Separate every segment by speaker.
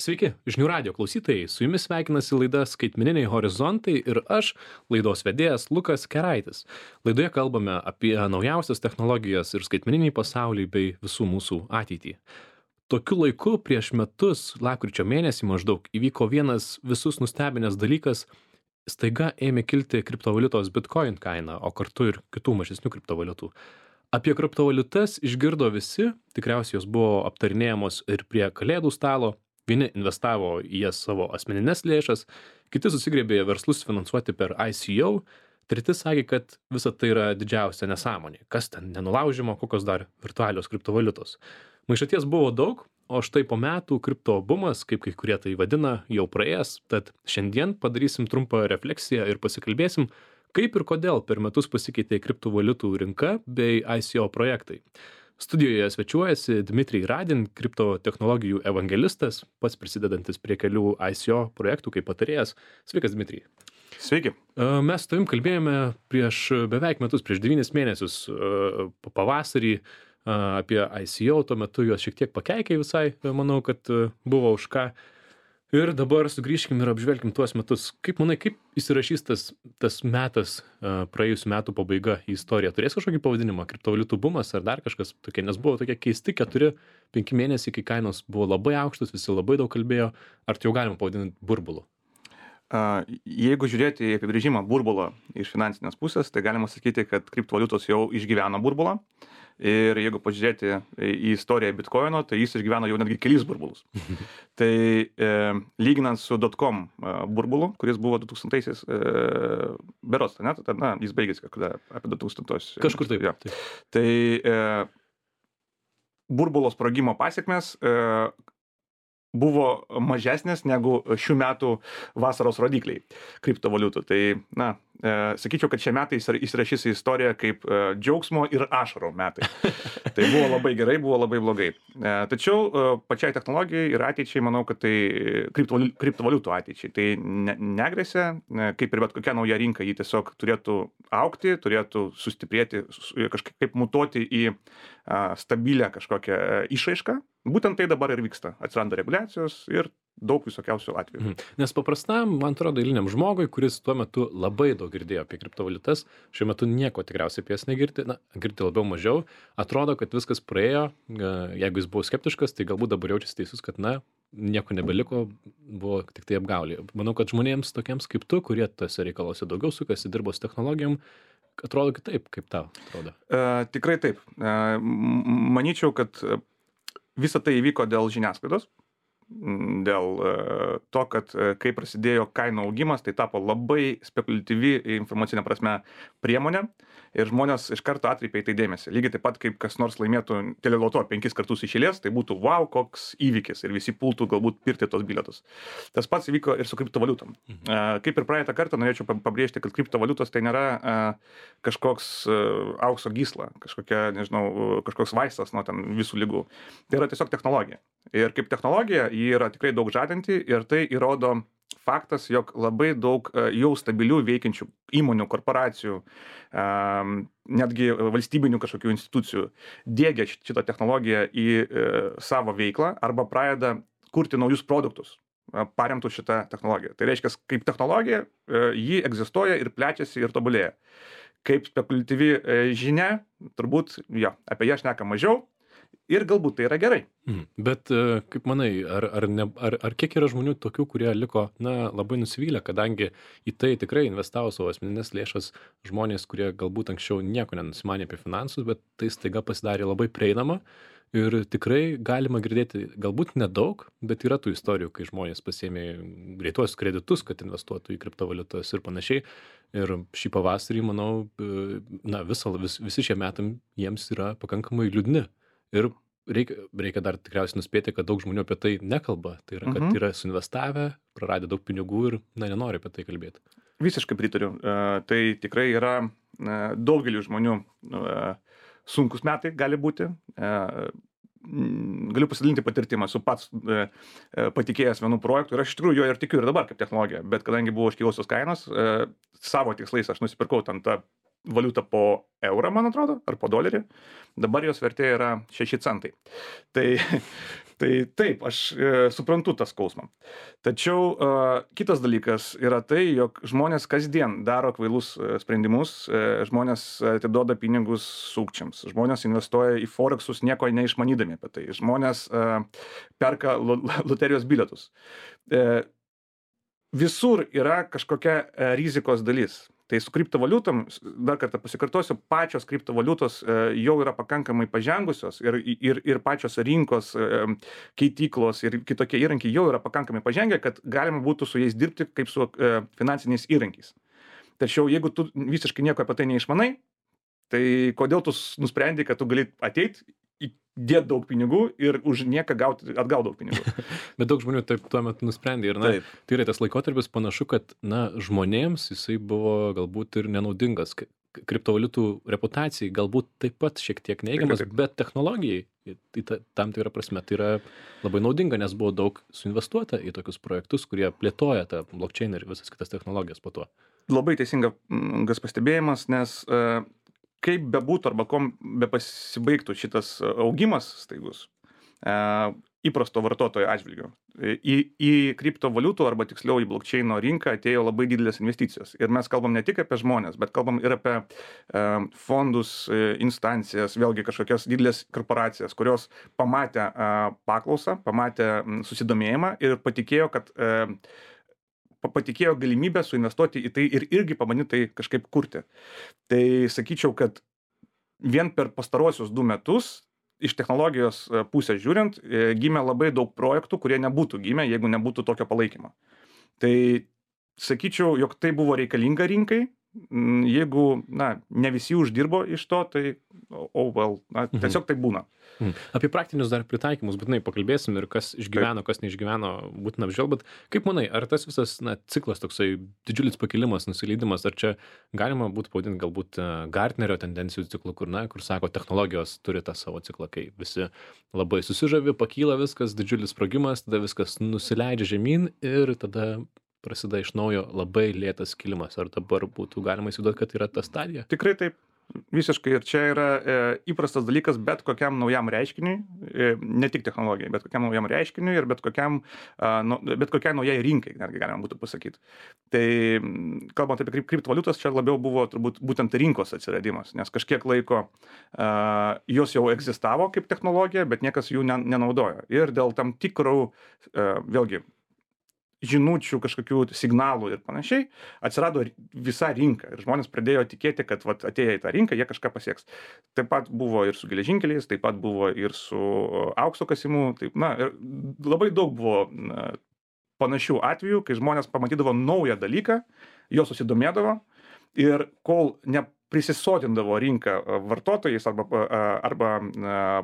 Speaker 1: Sveiki, žinių radio klausytojai, su jumis sveikinasi laida Skaitmeniniai horizontai ir aš, laidos vedėjas Lukas Keraitis. Laidoje kalbame apie naujausias technologijas ir skaitmeninį pasaulį bei visų mūsų ateitį. Tokiu laiku prieš metus, lapkričio mėnesį maždaug, įvyko vienas visus nustebinęs dalykas, staiga ėmė kilti kriptovaliutos Bitcoin kaina, o kartu ir kitų mažesnių kriptovaliutų. Apie kriptovaliutas išgirdo visi, tikriausiai jos buvo aptarinėjamos ir prie kalėdų stalo. Vieni investavo į jas savo asmeninės lėšas, kiti susigriebė verslus finansuoti per ICO, treti sakė, kad visa tai yra didžiausia nesąmonė. Kas ten nenulaužimo, kokios dar virtualios kriptovaliutos. Maišaties buvo daug, o štai po metų kripto bumas, kaip kai kurie tai vadina, jau praėjęs, tad šiandien padarysim trumpą refleksiją ir pasikalbėsim, kaip ir kodėl per metus pasikeitė kriptovaliutų rinka bei ICO projektai. Studijoje svečiuojasi Dmitrij Radin, kriptotechnologijų evangelistas, pats prisidedantis prie kelių ICO projektų kaip patarėjas. Sveikas, Dmitrij.
Speaker 2: Sveiki.
Speaker 1: Mes su tavim kalbėjome prieš beveik metus, prieš 9 mėnesius pavasarį apie ICO, tuo metu juos šiek tiek pakeikiai visai, manau, kad buvo už ką. Ir dabar sugrįžkim ir apžvelkim tuos metus. Kaip manai, kaip įsirašys tas metas, praėjusių metų pabaiga į istoriją? Turės kažkokį pavadinimą, kriptovaliutų bumas ar dar kažkas tokie, nes buvo tokie keisti 4-5 mėnesiai, kai kainos buvo labai aukštos, visi labai daug kalbėjo. Ar tai jau galima pavadinti burbulu?
Speaker 2: Jeigu žiūrėti į apibrėžimą burbulo iš finansinės pusės, tai galima sakyti, kad kriptovaliutos jau išgyveno burbulą. Ir jeigu pažiūrėti į istoriją Bitcoino, tai jis išgyveno jau netgi kelis burbulus. Tai lyginant su .com burbulu, kuris buvo 2000-aisiais, berods, jis baigėsi kada apie 2000-osius.
Speaker 1: Kažkur taip.
Speaker 2: Ja. Tai burbulo sprogimo pasiekmes buvo mažesnės negu šių metų vasaros rodikliai kriptovaliutų. Tai, sakyčiau, kad šie metai įsirašys į istoriją kaip džiaugsmo ir ašarų metai. Tai buvo labai gerai, buvo labai blogai. Tačiau pačiai technologijai ir ateičiai, manau, kad tai kriptovaliutų ateičiai. Tai negresia, kaip ir bet kokia nauja rinka, ji tiesiog turėtų augti, turėtų sustiprėti, kažkaip mutuoti į stabilę kažkokią išraišką. Būtent tai dabar ir vyksta. Atsiranda reguliacijos ir daug visokiausių atvejų.
Speaker 1: Nes paprastam, man atrodo, eiliniam žmogui, kuris tuo metu labai daug girdėjo apie kriptovaliutas, šiuo metu nieko tikriausiai apie jas negirdi, girdi labiau mažiau, atrodo, kad viskas praėjo, jeigu jis buvo skeptiškas, tai galbūt dabar jaučiasi teisus, kad nieko nebeliko, buvo tik tai apgaulė. Manau, kad žmonėms tokiems kaip tu, kurie tose reikaluose daugiau sukasi, dirbo su technologijom, atrodo kitaip, kaip tau atrodo.
Speaker 2: Tikrai taip. Manyčiau, kad visa tai įvyko dėl žiniasklaidos, dėl to, kad kai prasidėjo kainų augimas, tai tapo labai spekuliatyvi informacinė prasme priemonė ir žmonės iš karto atkreipė į tai dėmesį. Lygiai taip pat, kaip kas nors laimėtų teleloto 5 kartus iš eilės, tai būtų wow, koks įvykis ir visi pultų galbūt pirkti tos bilietus. Tas pats įvyko ir su kriptovaliutom. Kaip ir praeitą kartą norėčiau pabrėžti, kad kriptovaliutos tai nėra kažkoks aukso gysla, kažkoks vaistas nuo ten visų ligų. Tai yra tiesiog technologija. Ir kaip technologija, ji yra tikrai daug žadanti ir tai įrodo faktas, jog labai daug jau stabilių veikiančių įmonių, korporacijų, netgi valstybinių kažkokių institucijų diegia šitą technologiją į savo veiklą arba pradeda kurti naujus produktus paremtų šitą technologiją. Tai reiškia, kaip technologija, ji egzistuoja ir plečiasi ir tobulėja. Kaip spekuliatyvi žinia, turbūt apie ją šneka mažiau. Ir galbūt tai yra gerai.
Speaker 1: Bet kaip manai, ar kiek yra žmonių tokių, kurie liko labai nusivylę, kadangi į tai tikrai investavo savo asmeninės lėšas žmonės, kurie galbūt anksčiau nieko nenusimanė apie finansus, bet tai staiga pasidarė labai prieinama ir tikrai galima girdėti galbūt nedaug, bet yra tų istorijų, kai žmonės pasiėmė greituosius kreditus, kad investuotų į kriptovaliutas ir panašiai. Ir šį pavasarį, manau, visi šie metai jiems yra pakankamai liūdni. Ir reikia dar tikriausiai nuspėti, kad daug žmonių apie tai nekalba. Tai yra, kad yra suinvestavę, praradę daug pinigų ir nenori apie tai kalbėti.
Speaker 2: Visiškai pritariu. Tai tikrai yra daugelių žmonių sunkus metai gali būti. Galiu pasidalinti patirtimą, esu pats patikėjęs vienų projektų ir aš iš tikrųjų jo ir tikiu ir dabar kaip technologija, bet kadangi buvo iškilusios kainos, savo tikslais aš nusipirkau ten tą valiutą po eurą, man atrodo, ar po dolerį. Dabar jos vertė yra 6 centai. Tai Tai taip, aš suprantu tą skausmą. Tačiau kitas dalykas yra tai, jog žmonės kasdien daro kvailus sprendimus, žmonės atiduoda pinigus sukčiams, žmonės investuoja į forexus nieko neišmanydami apie tai, žmonės perka loterijos bilietus. Visur yra kažkokia rizikos dalis. Tai su kriptovaliutom, dar kartą pasikartosiu, pačios kriptovaliutos jau yra pakankamai pažengusios ir pačios rinkos keityklos ir kitokie įrankiai jau yra pakankamai pažengę, kad galima būtų su jais dirbti kaip su finansiniais įrankiais. Tačiau jeigu tu visiškai nieko apie tai neišmanai, tai kodėl tu nusprendei, kad tu gali ateit, įdėt daug pinigų ir už nieką gauti atgal daug pinigų.
Speaker 1: Bet daug žmonių taip tuo metu nusprendė ir, na,
Speaker 2: Taip.
Speaker 1: tai yra tas laikotarpis panašu, kad, na, žmonėms jisai buvo galbūt ir nenaudingas. Kriptovaliutų reputacijai galbūt taip pat šiek tiek neigiamas,
Speaker 2: Taip.
Speaker 1: bet technologijai, tam tikra prasme, tai yra labai naudinga, nes buvo daug suinvestuota į tokius projektus, kurie plėtoja tą blockchain ir visas kitas technologijas po to.
Speaker 2: Labai teisingas pastebėjimas, nes kaip bebūtų arba kom bepasibaigtų šitas augimas staigus įprasto vartotojo atžvilgiu, į kriptovaliutų arba tiksliau į blockchaino rinką atėjo labai didelės investicijos. Ir mes kalbam ne tik apie žmonės, bet kalbam ir apie fondus, instancijas, vėlgi kažkokias didelės korporacijas, kurios pamatė paklausą, pamatė susidomėjimą ir patikėjo, kad patikėjo galimybę suinvestuoti į tai ir irgi pabandyti tai kažkaip kurti. Tai sakyčiau, kad vien per pastaruosius 2 metus iš technologijos pusės žiūrint, gimė labai daug projektų, kurie nebūtų gimę, jeigu nebūtų tokio palaikymo. Tai sakyčiau, jog tai buvo reikalinga rinkai, jeigu, na, ne visi uždirbo iš to, tai, tiesiog tai būna.
Speaker 1: Apie praktinius dar pritaikymus būtinai pakalbėsim ir kas išgyveno, kas neišgyveno, būtina apžvelgt, bet kaip manai, ar tas visas, na, ciklas toksai didžiulis pakilimas, nusileidimas, ar čia galima būtų pavadinti galbūt Gartnerio tendencijų ciklu, kur sako, technologijos turi tą savo ciklą, kai visi labai susižavi, pakyla viskas, didžiulis sprogimas, tada viskas nusileidžia žemyn ir tada prasideda iš naujo labai lėtas kilimas. Ar dabar būtų galima įsivaizduoti, kad yra ta stadija?
Speaker 2: Tikrai taip. Visiškai. Ir čia yra įprastas dalykas bet kokiam naujam reiškiniui, ne tik technologijai, bet kokiam naujam reiškiniui ir bet kokiai naujai rinkai, netgi galima būtų pasakyti. Tai kalbant apie kriptovaliutas, čia labiau buvo turbūt būtent rinkos atsiradimas, nes kažkiek laiko jos jau egzistavo kaip technologija, bet niekas jų nenaudojo. Ir dėl tam tikrų, vėlgi, žinučių, kažkokių signalų ir panašiai, atsirado visa rinka ir žmonės pradėjo tikėti, kad atėję į tą rinką, jie kažką pasieks. Taip pat buvo ir su geležinkeliais, taip pat buvo ir su aukso kasimu, taip, ir labai daug buvo panašių atvejų, kai žmonės pamatydavo naują dalyką, jo susidomėdavo ir kol neprisisotindavo rinką vartotojais arba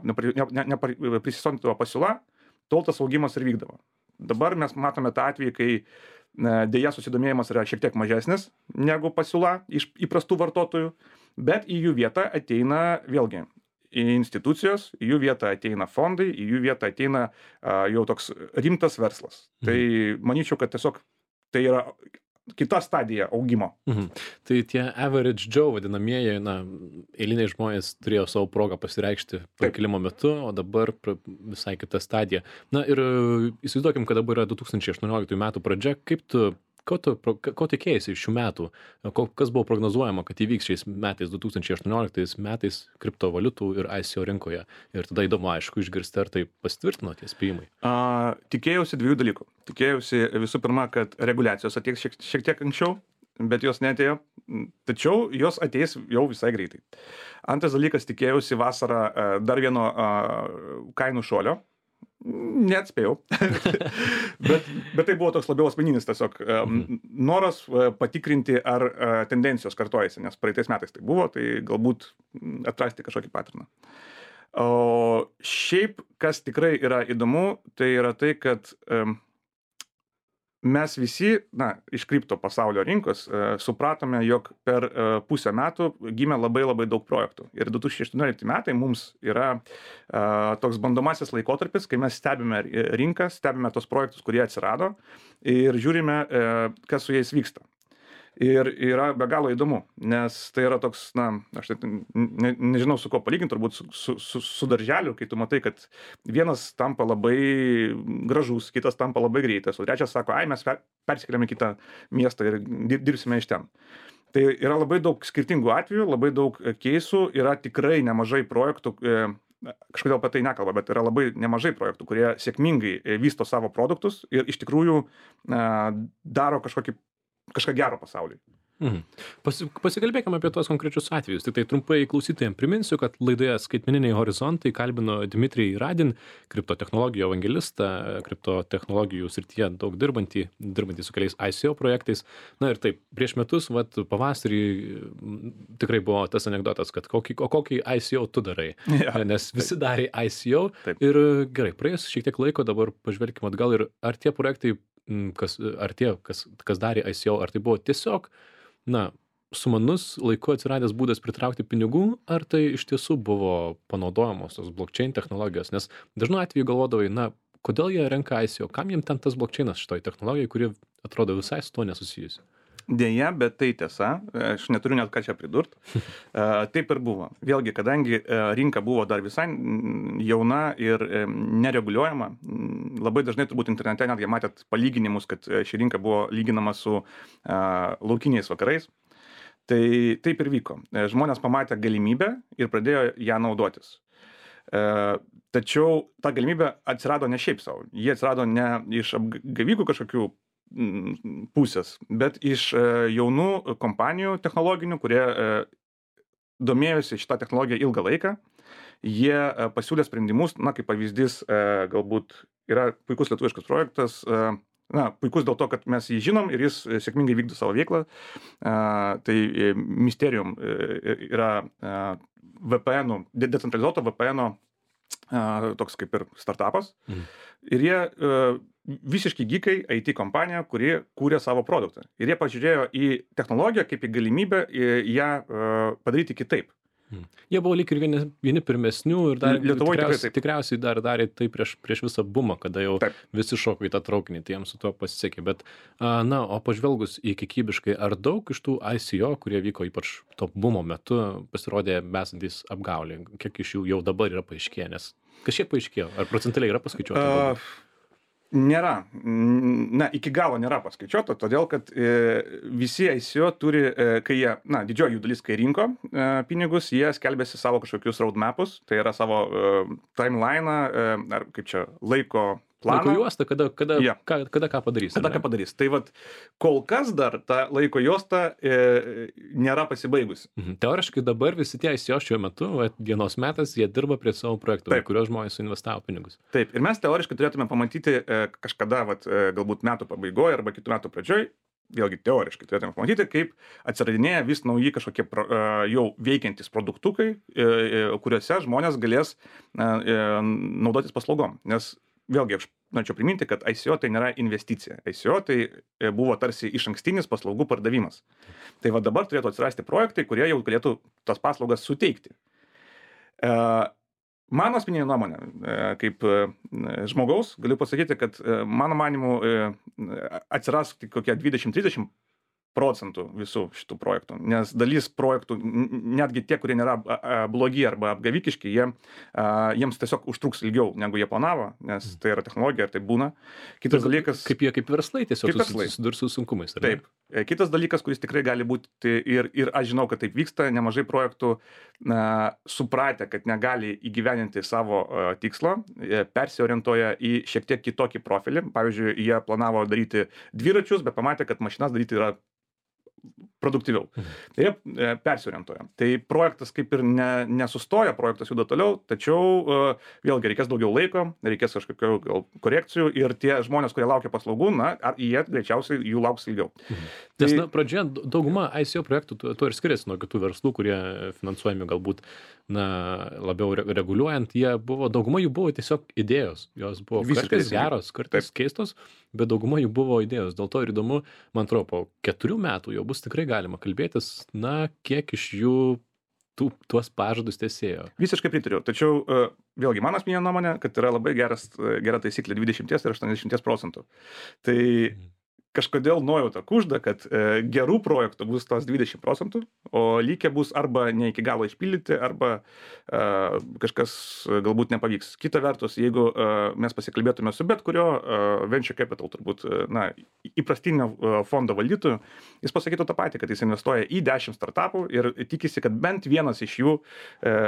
Speaker 2: neprisisotindavo pasiūla, tol tas augimas ir vykdavo. Dabar mes matome tą atvejį, kai dėja susidomėjimas yra šiek tiek mažesnis negu pasiūla iš įprastų vartotojų, bet į jų vietą ateina vėlgi institucijos, į jų vietą ateina fondai, į jų vietą ateina jau toks rimtas verslas. Tai manyčiau, kad tiesiog tai yra kita stadija augimo.
Speaker 1: Tai tie average Joe vadinamieji, eiliniai žmonės turėjo savo progą pasireikšti pakilimo metu, o dabar visai kita stadija. Na ir įsivaizduokim, kad dabar yra 2018 metų pradžia, ko tikėjasi iš šių metų, kas buvo prognozuojama, kad įvyks šiais metais, 2018 metais kriptovaliutų ir ICO rinkoje. Ir tada įdomu, aišku, išgirsti, ar tai pasitvirtino tie spėjimai.
Speaker 2: Tikėjausi 2 dalykų. Tikėjausi visų pirma, kad reguliacijos ateis šiek tiek anksčiau, bet jos neatėjo, tačiau jos ateis jau visai greitai. Antras dalykas, tikėjausi vasarą dar vieno kainų šuolio. Neatspėjau, bet tai buvo toks labiau asmeninis tiesiog noras patikrinti, ar tendencijos kartojasi, nes praeitais metais tai buvo, tai galbūt atrasti kažkokį paterną. O šiaip, kas tikrai yra įdomu, tai yra tai, kad mes visi, iš kripto pasaulio rinkos supratome, jog per pusę metų gimė labai daug projektų. Ir 2018 metai mums yra toks bandomasis laikotarpis, kai mes stebime rinką, stebime tos projektus, kurie atsirado ir žiūrime, kas su jais vyksta. Ir yra be galo įdomu, nes tai yra toks, na, aš nežinau su kuo palyginti, turbūt su darželiu, kai tu matai, kad vienas tampa labai gražus, kitas tampa labai greitas, o trečias sako, ai, mes persikeliame į kitą miestą ir dirbsime iš ten. Tai yra labai daug skirtingų atvejų, labai daug keisų, yra tikrai nemažai projektų, kažkodėl apie tai nekalba, bet yra labai nemažai projektų, kurie sėkmingai vysto savo produktus ir iš tikrųjų daro kažką gero pasauliui.
Speaker 1: Pasikalbėkime apie tuos konkrečius atvejus. Tik tai trumpai klausytojams priminsiu, kad laidoje Skaitmeniniai horizontai kalbino Dmitrijų Radin, kriptotechnologijų evangelistą, kriptotechnologijų srityje daug dirbantį su keliais ICO projektais. Na ir taip, prieš metus, pavasarį tikrai buvo tas anekdotas, kad kokį ICO tu darai, nes visi darė ICO. Taip. Ir gerai, praėjus šiek tiek laiko, dabar pažvelkime atgal ir ar tie projektai, kas darė ICO, ar tai buvo tiesiog sumanus laiku atsiradęs būdas pritraukti pinigų, ar tai iš tiesų buvo panaudojamos tos blockchain technologijos, nes dažnu atveju galvodavai, kodėl jie renka ICO, kam jiem ten tas blockchainas šitoj technologijai, kuri atrodo visai su tuo nesusijusi.
Speaker 2: Deja, bet tai tiesa, aš neturiu net ką čia pridurt. Taip ir buvo. Vėlgi, kadangi rinka buvo dar visai jauna ir nereguliuojama, labai dažnai turbūt internete netgi matėt palyginimus, kad ši rinka buvo lyginama su laukiniais vakarais. Tai taip ir vyko. Žmonės pamatė galimybę ir pradėjo ją naudotis. Tačiau ta galimybė atsirado ne šiaip savo. Jie atsirado ne iš apgavikų kažkokių pusės, bet iš jaunų kompanijų technologinių, kurie domėjosi šitą technologiją ilgą laiką. Jie pasiūlė sprendimus, kaip pavyzdys, galbūt yra puikus lietuviškas projektas, puikus dėl to, kad mes jį žinom ir jis sėkmingai vykdo savo veiklą. Tai Mysterium yra VPN, decentralizuoto VPN toks kaip ir startupas. Ir jie visiškai geekai, IT kompanija, kuri kūrė savo produktą. Ir jie pažiūrėjo į technologiją kaip į galimybę ją padaryti kitaip.
Speaker 1: Jie buvo lyg ir vieni pirmesnių ir dar tikriausiai dar darė tai prieš visą bumą, kada jau visi šoko į tą traukinį, tai jiems su tuo pasisekė. Bet, o pažvelgus į kikybiškai, ar daug iš tų ICO, kurie vyko ypač to bumo metu, pasirodė besantys apgaulė? Kiek iš jų jau dabar yra paaiškėję? Nes kažkiek paaiškėjo. Ar procentaliai yra paskaičiuota?
Speaker 2: Nėra. Iki galo nėra paskaičiuota, todėl kad visi ICO turi, kai jie, didžioji jų dalis, kai rinko pinigus, jie skelbėsi savo kažkokius roadmapus, tai yra savo timeline'ą, ar kaip čia, laiko planą.
Speaker 1: Laiko juostą, kada ką padarys.
Speaker 2: Kada ką padarys. Tai kol kas dar ta laiko juosta nėra pasibaigusi.
Speaker 1: Teoriškai dabar visi tie ICO šiuo metu, dienos metas, jie dirba prie savo projektų, kuriuos žmonės suinvestavo pinigus.
Speaker 2: Taip, ir mes teoriškai turėtume pamatyti kažkada, galbūt metų pabaigoje arba kitų metų pradžioj, vėlgi teoriškai turėtume pamatyti, kaip atsiradinėja vis nauji kažkokie jau veikiantys produktukai, kuriuose žmonės galės naudotis paslaugom. Nes vėlgi, aš norėčiau priminti, kad ICO tai nėra investicija. ICO tai buvo tarsi išankstinis paslaugų pardavimas. Tai dabar turėtų atsirasti projektai, kurie jau galėtų tas paslaugas suteikti. Mano asmeninė nuomonė, kaip žmogaus, galiu pasakyti, kad mano manimu atsiras kokie 20-30% visų šitų projektų, nes dalis projektų, netgi tie, kurie nėra blogi arba apgavikiški, jiems tiesiog užtruks ilgiau, negu jie planavo, nes tai yra technologija ir tai būna. Kitas dalykas...
Speaker 1: Kaip verslai tiesiog susidurs su sunkumais.
Speaker 2: Taip. Kitas dalykas, kuris tikrai gali būti, ir aš žinau, kad taip vyksta, nemažai projektų supratę, kad negali įgyveninti savo tikslo, persiorientuoja į šiek tiek kitokį profilį. Pavyzdžiui, jie planavo daryti dviračius, bet pamatė, kad mašinas daryti yra produktyviau. Tai jie persiorientuoja. Tai projektas kaip ir nesustoja, projektas juda toliau, tačiau vėlgi reikės daugiau laiko, reikės kažkokių gal korekcijų ir tie žmonės, kurie laukia paslaugų, jie greičiausiai jų lauks ilgiau.
Speaker 1: Nes pradžioje dauguma ICO projektų tuo ir skiriasi nuo kitų verslų, kurie finansuojami galbūt labiau reguliuojant, dauguma jų buvo tiesiog idėjos. Jos buvo kartais geros, kartais keistos, bet dauguma jų buvo idėjos. Dėl to ir įdomu, man atrodo, po 4 metų jau bus tikrai galima kalbėtis, kiek iš jų tuos pažadus tesėjo.
Speaker 2: Visiškai pritariu. Tačiau vėlgi mano asmeninė nuomonė, kad yra labai gera taisyklė 20 ir 80%. Tai kažkodėl nuojauta kužda, kad gerų projektų bus tos 20%, o likę bus arba ne iki galo išpildyti, arba kažkas galbūt nepavyks. Kita vertus, jeigu mes pasikalbėtume su bet kurio venture capital, turbūt, na, įprastinio fondo valdytojų, jis pasakytų tą patį, kad jis investuoja į 10 startupų ir tikisi, kad bent vienas iš jų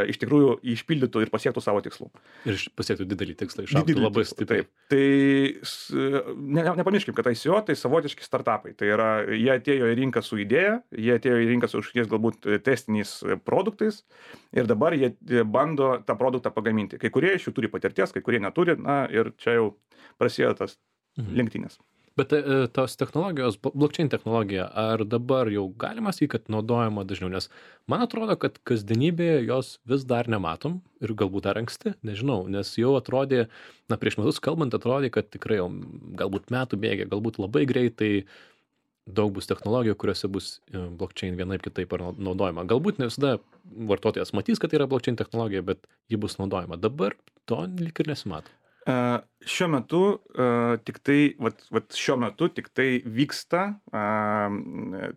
Speaker 2: iš tikrųjų išpildytų ir pasiektų savo tikslų.
Speaker 1: Ir pasiektų didelį tikslą, išaugtų labai stipriai.
Speaker 2: Tai nepamirškim, kad ICO tai savotiški startupai. Tai yra, jie atėjo į rinką su idėja, jie atėjo į rinką su kažkokiais galbūt testiniais produktais ir dabar jie bando tą produktą pagaminti. Kai kurie iš jų turi patirties, kai kurie neturi, na ir čia jau prasideda tas lenktynės.
Speaker 1: Bet tos technologijos, blockchain technologija, ar dabar jau galima sakyti, kad naudojama dažniau? Nes man atrodo, kad kasdienybėje jos vis dar nematom ir galbūt dar anksti, nežinau, nes jau atrodė, na prieš metus kalbant, atrodė, kad tikrai jau galbūt metų bėgė, galbūt labai greitai daug bus technologijų, kuriuose bus blockchain vienaip kitaip naudojama. Galbūt ne visada vartotojas matys, kad tai yra blockchain technologija, bet ji bus naudojama. Dabar to lyg ir nesimato.
Speaker 2: Šiuo metu šiuo metu tik tai vyksta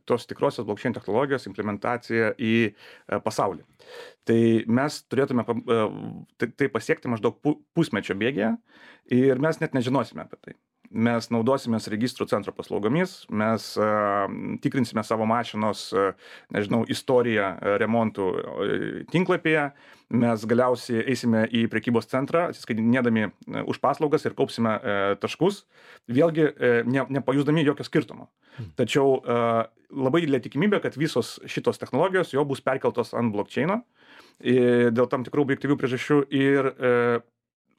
Speaker 2: tos tikrosios blockchain technologijos implementacija į pasaulį. Tai mes turėtume tai pasiekti maždaug pusmečio bėgyje ir mes net nežinosime apie tai. Mes naudosimės registrų centro paslaugomis, mes tikrinsime savo mašinos, nežinau, istoriją remontų tinklapyje, mes galiausiai eisime į prekybos centrą, atsiskaitinėdami už paslaugas ir kaupsime taškus, vėlgi nepajusdami jokio skirtumo. Tačiau labai didelė tikimybė, kad visos šitos technologijos jau bus perkeltos ant blockchaino dėl tam tikrų objektyvių priežasčių ir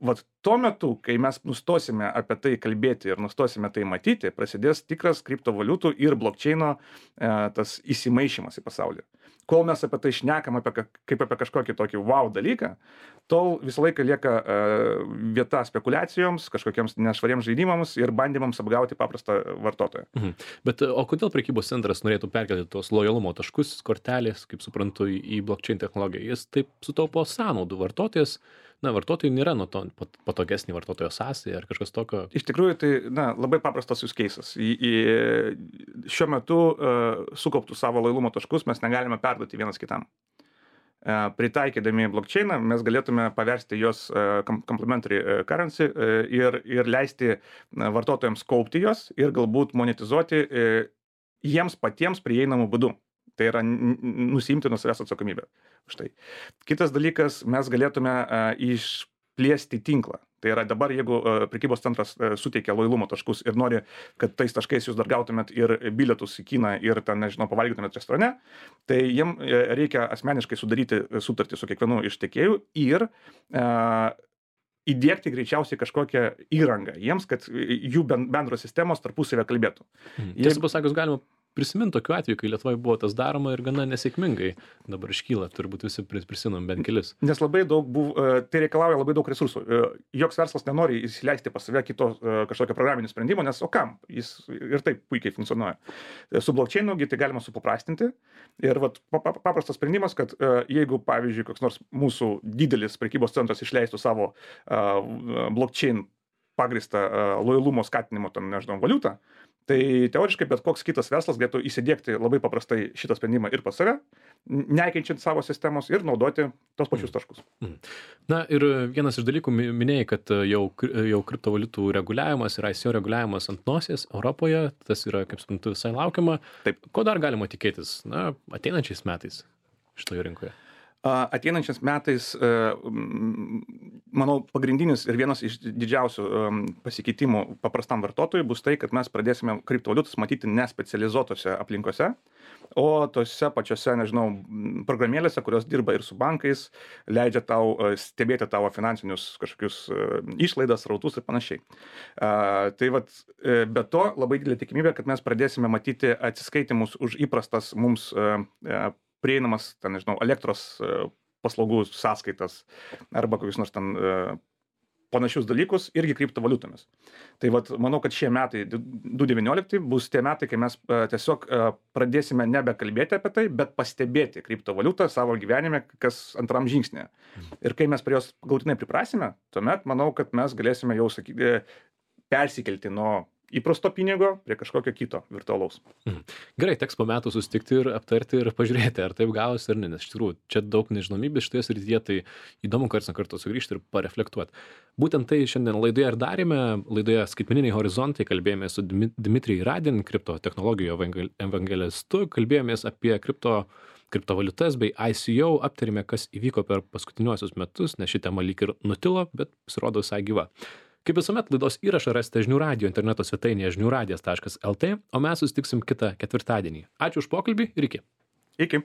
Speaker 2: vat tuo metu, kai mes nustosime apie tai kalbėti ir nustosime tai matyti, prasidės tikras kriptovaliutų ir blockchaino tas įsimaišymas į pasaulį. Kol mes apie tai šnekam kaip apie kažkokį tokį wow dalyką, tol visą laiką lieka vieta spekulacijoms, kažkokiems nešvariems žaidimams ir bandymams apgauti paprastą vartotoją.
Speaker 1: Bet o kodėl prekybos centras norėtų perkelti tos lojalumo taškus, kortelės, kaip suprantu, į blockchain technologiją? Jis taip sutaupo sąnaudų. Vartotojai nėra nuo to patogesnį vartotojo sąsają ar kažkas tokio.
Speaker 2: Iš tikrųjų, tai labai paprastas use cases. Šiuo metu sukauptų savo lojalumo taškus mes negalime perduoti vienas kitam. Pritaikydami blockchainą mes galėtume paversti jos complementary currency ir leisti vartotojams kaupti jos ir galbūt monetizuoti jiems patiems prieinamų būdų. Tai yra nusiimti nuo savęs atsakomybę. Štai. Kitas dalykas, mes galėtume išplėsti tinklą. Tai yra dabar, jeigu prekybos centras suteikia lojalumo taškus ir nori, kad tais taškais jūs dar gautumėt ir bilietus į kiną ir ten, nežinau, pavalgytumėt restorane, tai jiem reikia asmeniškai sudaryti sutartį su kiekvienu iš tiekėjų ir įdiegti greičiausiai kažkokią įrangą jiems, kad jų bendros sistemos tarpusavę kalbėtų.
Speaker 1: Tiesą pasakius, galima prisimint tokiu atveju, kai Lietuvoje buvo tas daroma ir gana nesėkmingai dabar iškyla, turbūt visi prisimenam bent kelis.
Speaker 2: Nes labai daug tai reikalauja labai daug resursų. Joks verslas nenori įsileisti pas save kito kažkokio programinio sprendimo, nes o kam? Jis ir taip puikiai funkcionuoja. Su blockchainu tai galima supaprastinti ir paprastas sprendimas, kad jeigu, pavyzdžiui, koks nors mūsų didelis prekybos centras išleistų savo blockchain pagrįstą lojalumo skatinimo, nežinau, valiutą, tai teoriškai bet koks kitas verslas galėtų įsidiegti labai paprastai šitą sprendimą ir pas save, nekeičiant savo sistemos ir naudoti tos pačius taškus.
Speaker 1: Na ir vienas iš dalykų minėjai, kad jau kriptovaliutų reguliavimas ir ICO reguliavimas ant nosies Europoje, tas yra, kaip suprantu, visai laukiama.
Speaker 2: Taip.
Speaker 1: Ko dar galima tikėtis, ateinančiais metais šitoje rinkoje?
Speaker 2: Ateinančiais metais, manau, pagrindinis ir vienas iš didžiausių pasikeitimų paprastam vartotojui bus tai, kad mes pradėsime kriptovaliutas matyti ne specializuotose aplinkose, o tose pačiose, nežinau, programėlėse, kurios dirba ir su bankais, leidžia tau stebėti tavo finansinius kažkokius išlaidas, srautus ir panašiai. Tai be to labai didelė tikimybė, kad mes pradėsime matyti atsiskaitimus už įprastas mums prieinamas, nežinau, elektros paslaugų sąskaitas arba kokius nors ten panašius dalykus irgi kriptovaliutomis. Tai manau, kad šie metai, 2019, bus tie metai, kai mes tiesiog pradėsime nebekalbėti apie tai, bet pastebėti kriptovaliutą savo gyvenime kas antram žingsnė. Ir kai mes prie jos galutinai priprasime, tuomet manau, kad mes galėsime jau persikelti nuo įprasto pinigo prie kažkokio kito virtualaus.
Speaker 1: Gerai, teks po metų susitikti ir aptarti ir pažiūrėti, ar taip gavosi ar ne, nes iš tikrųjų čia daug nežinomybės šitoje srityje, tai įdomu karts nuo karto sugrįžti ir pareflektuoti. Būtent tai šiandien laidoje ir darėme. Laidoje Skaitmeniniai horizontai kalbėjomės su Dmitrij Radin, kripto technologijų evangelistu, kalbėjomės apie kriptovaliutas bei ICO, aptarėme, kas įvyko per paskutiniuosius metus, nes ši tema lyg ir nutilo, bet pasirodo visai gyva. Kaip visuomet, laidos įrašą rasite žinių radijo interneto svetainėje žiniųradijas.lt, o mes susitiksim kitą ketvirtadienį. Ačiū už pokalbį ir iki.
Speaker 2: Iki.